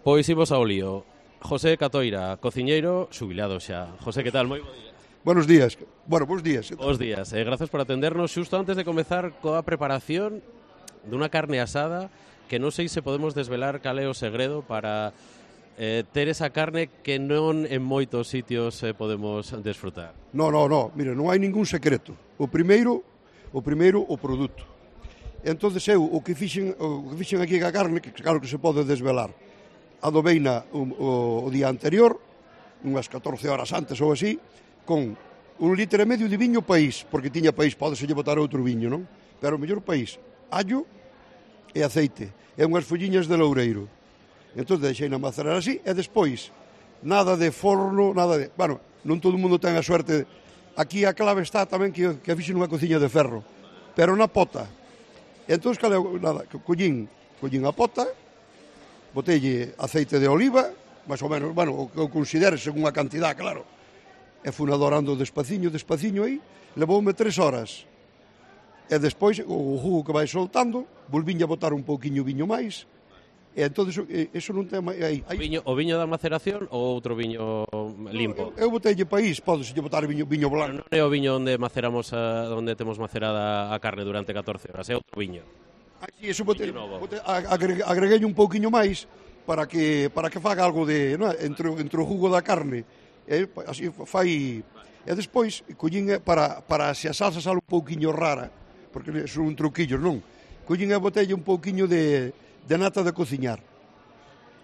Pois imos ao lío. José Catoira, cociñeiro, xubilado xa. José, que tal? Moi bo día. Buenos días. Bueno, bons días. Bos días. Grazas por atendernos. Xusto antes de comezar coa preparación dunha carne asada, que non sei se podemos desvelar cal é o segredo para ter esa carne que non en moitos sitios podemos desfrutar. No. Mira, non hai ningún secreto. O primeiro, o produto. Entonces eu, o que fixen aquí ca carne, que claro que se pode desvelar, adobeina o día anterior, unhas 14 horas antes ou así, con 1,5 litro de viño país, porque tiña país, podeselle botar outro viño, non? Pero o mellor país, allo e aceite, e unhas folliñas de loureiro. Entón deixei na macerar así, e despois, nada de forno, nada de... Bueno, non todo o mundo ten a suerte. Aquí a clave está tamén que fixen unha cociña de ferro, pero na pota. Entón, nada, collín a pota, botelle aceite de oliva, máis ou menos, bueno, o que eu considere según a cantidad, claro. E fui adorando despaciño aí, levoume 3 horas. E despois, o jugo que vai soltando, volvín a botar un pouquiño viño máis, e entón, eso non ten máis... O viño da maceración ou outro viño limpo? Eu botelle país, podeselle botar viño blanco. Non é o viño onde maceramos, onde temos macerada a carne durante 14 horas, é outro viño. Aquí, eso agreguei un pouquiño máis para que faga algo de, no? entre o jugo da carne. Así fai. E despois collín para se a salsa sale un pouquiño rara, porque son un truquillo, non? Collín a botella un pouquiño de nata de cociñar.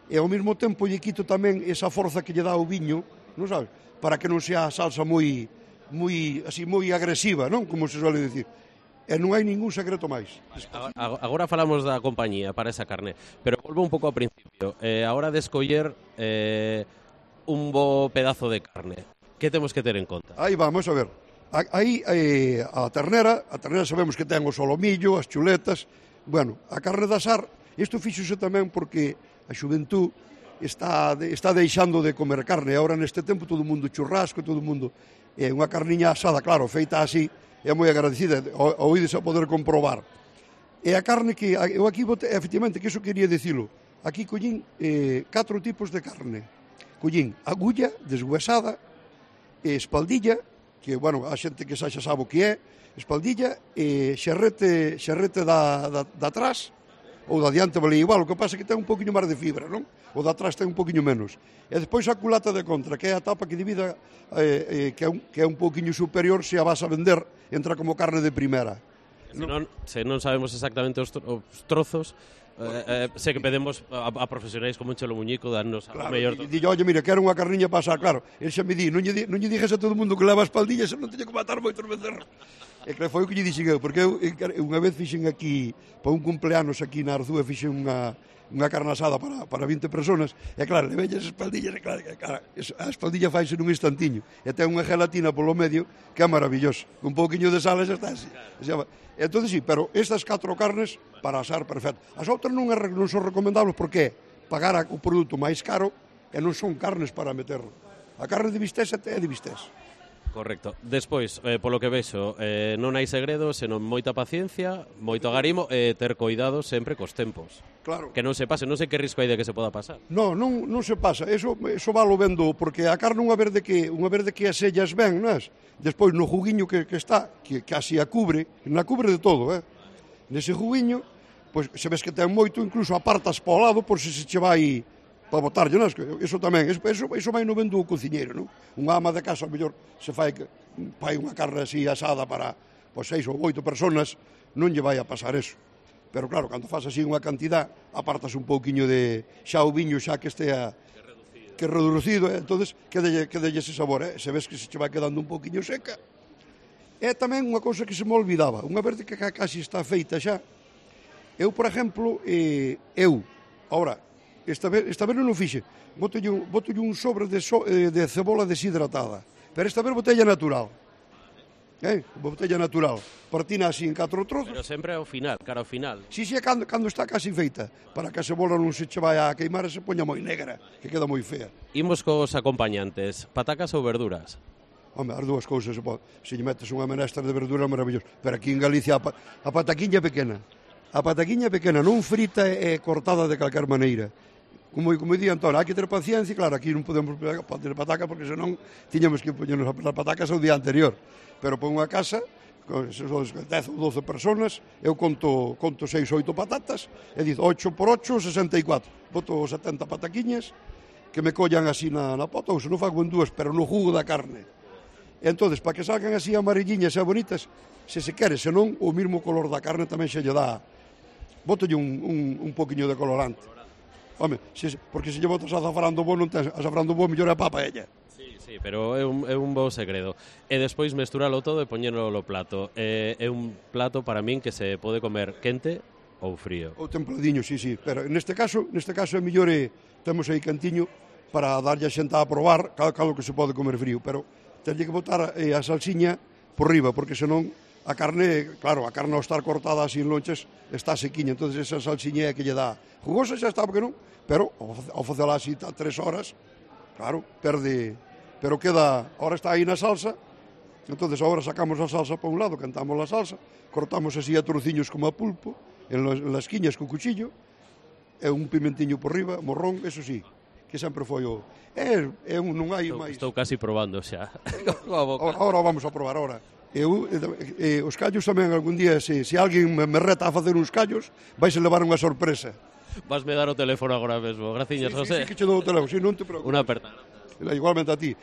E ao mesmo tempo lle quito tamén esa forza que lle dá o viño, non sabes? Para que non sea a salsa moi agresiva, non? Como se suele decir. E non hai ningún secreto máis. Agora falamos da compañía para esa carne, pero volvo un pouco ao principio. A hora de escoller un bo pedazo de carne, que temos que ter en conta? Aí vamos a ver. Aí a ternera sabemos que ten o solomillo, as chuletas. Bueno, a carne de asar, isto fíxose tamén porque a xuventud está deixando de comer carne. Agora neste tempo todo o mundo churrasco, todo o mundo unha carniña asada, claro, feita así, é moi agradecida, oídes a poder comprobar. E a carne que eu aquí botei, efectivamente, que iso quería dicilo, aquí collín 4 tipos de carne. Collín agulla, deshuesada, espaldilla, que, bueno, a xente que xa sabe o que é, espaldilla, xerrete da atrás, ou da diante vale igual, o que pasa é que ten un poquinho máis de fibra, non? O da atrás ten un poquinho menos. E despois a culata de contra, que é a tapa que divida, que é un poquinho superior, se a vas a vender, entra como carne de primeira. Se non sabemos exactamente os trozos, sei que pedimos a profesionais como un Chelo Muñico darnos a mellor... Dille, oye, mira, quero unha carniña para asar, claro. El xa me di, non lle dixes a todo o mundo que leva espaldillas, non teño que matar moitos becerros. E que foi o que lle dixen eu, porque eu unha vez fixen aquí, para un cumpleanos aquí na Arzúa, fixen unha carne asada para 20 personas, e claro, le veñas espaldillas, e claro, a espaldilla faise nun instantiño, e ten unha gelatina polo medio, que é maravilloso. Un pouquiño de sal e xa está así. Entón, sí, pero estas 4 carnes para asar perfecto. As outras non son recomendables porque pagar o produto máis caro e non son carnes para meter. A carne de bistec é de bistec. Correcto. Despois, polo que vexo, non hai segredo, senón moita paciencia, moito agarimo e ter coidado sempre cos tempos. Claro. Que non se pase, non sei que risco hai de que se poda pasar. Non se pasa, eso valo vendo, porque a carne unha vez de que as sellas ben, non é? Despois no juguiño que está, que casi a cubre de todo, nese juguiño, pois se ves que ten moito, incluso apartas para o lado por se che vai para botarlle, non? Iso tamén, iso vai no vendo o cociñeiro, non? Unha ama de casa, mellor, se fai unha carne así asada para 6 ou 8 personas, non lle vai a pasar eso. Pero claro, cando faz así unha cantidad, apartas un pouquiño de xa o viño xa que estea que reducido, entonces quedelle ese sabor, se ves que se che vai quedando un pouquiño seca. E tamén unha cousa que se me olvidaba, unha vez que casi está feita xa, eu, por exemplo, ahora, esta vez non o fixe, botolle un sobre de cebola deshidratada, pero esta vez botella natural. Botella natural, partina así en 4 trozos. Pero sempre ao final, cara ao final. Si, cando está casi feita, para que a cebola non se che vai a queimar e se poña moi negra, que queda moi fea. Imos cos acompañantes, patacas ou verduras? Home, as dúas cousas, se lle metes unha menestra de verdura maravillosa, pero aquí en Galicia a pataquiña pequena. A pataquiña pequena, non frita e cortada de calquer maneira. como día Antonio, hai que ter paciencia, claro, aquí non podemos poner pataca porque senón tiñamos que poñernos as patacas o día anterior. Pero pon unha casa, con 10 ou 12 personas, eu conto 6 ou 8 patatas, e dizo 8 por 8, 64. Boto 70 pataquiñas, que me collan así na pota, ou se non fago en dúas, pero no jugo da carne. E entonces, para que salgan así amarilliñas e bonitas, se se quere, senón, o mismo color da carne tamén se lle dá. Botolle un poquinho de colorante. Home, porque se lle botas azafrán do bo, non tens azafrán do bo, mellor é a papa ella. Sí, pero é un bo segredo. E despois mesturalo todo e poñelo no plato. É un plato para min que se pode comer quente ou frío. Ou templadiño, sí, pero neste caso é mellor temos aí cantiño para darlle a xenta a probar calo que se pode comer frío, pero tenlle que botar a salsiña por riba, porque senón a carne, claro, a carne ao estar cortada así en lonches está sequiña, entonces esa salsiña é que lle dá jugosa, xa está, porque non, pero ao facela así 3 horas, claro, perde, pero queda, ahora está aí na salsa, entonces agora sacamos a salsa para un lado, cantamos a salsa, cortamos así a trociños como a pulpo, en las quiñas co cuchillo, e un pimentiño por riba, morrón, eso sí, que sempre foi o... non hai máis... Estou casi probando xa. Ahora vamos a probar, ahora. Os callos tamén algún día, se alguén me reta a facer uns callos, vais a levar unha sorpresa. Vasme dar o teléfono agora mesmo. Graciñas, José. Sí, que che dou o teléfono, non te preocupes. Unha aperta. Igualmente a ti.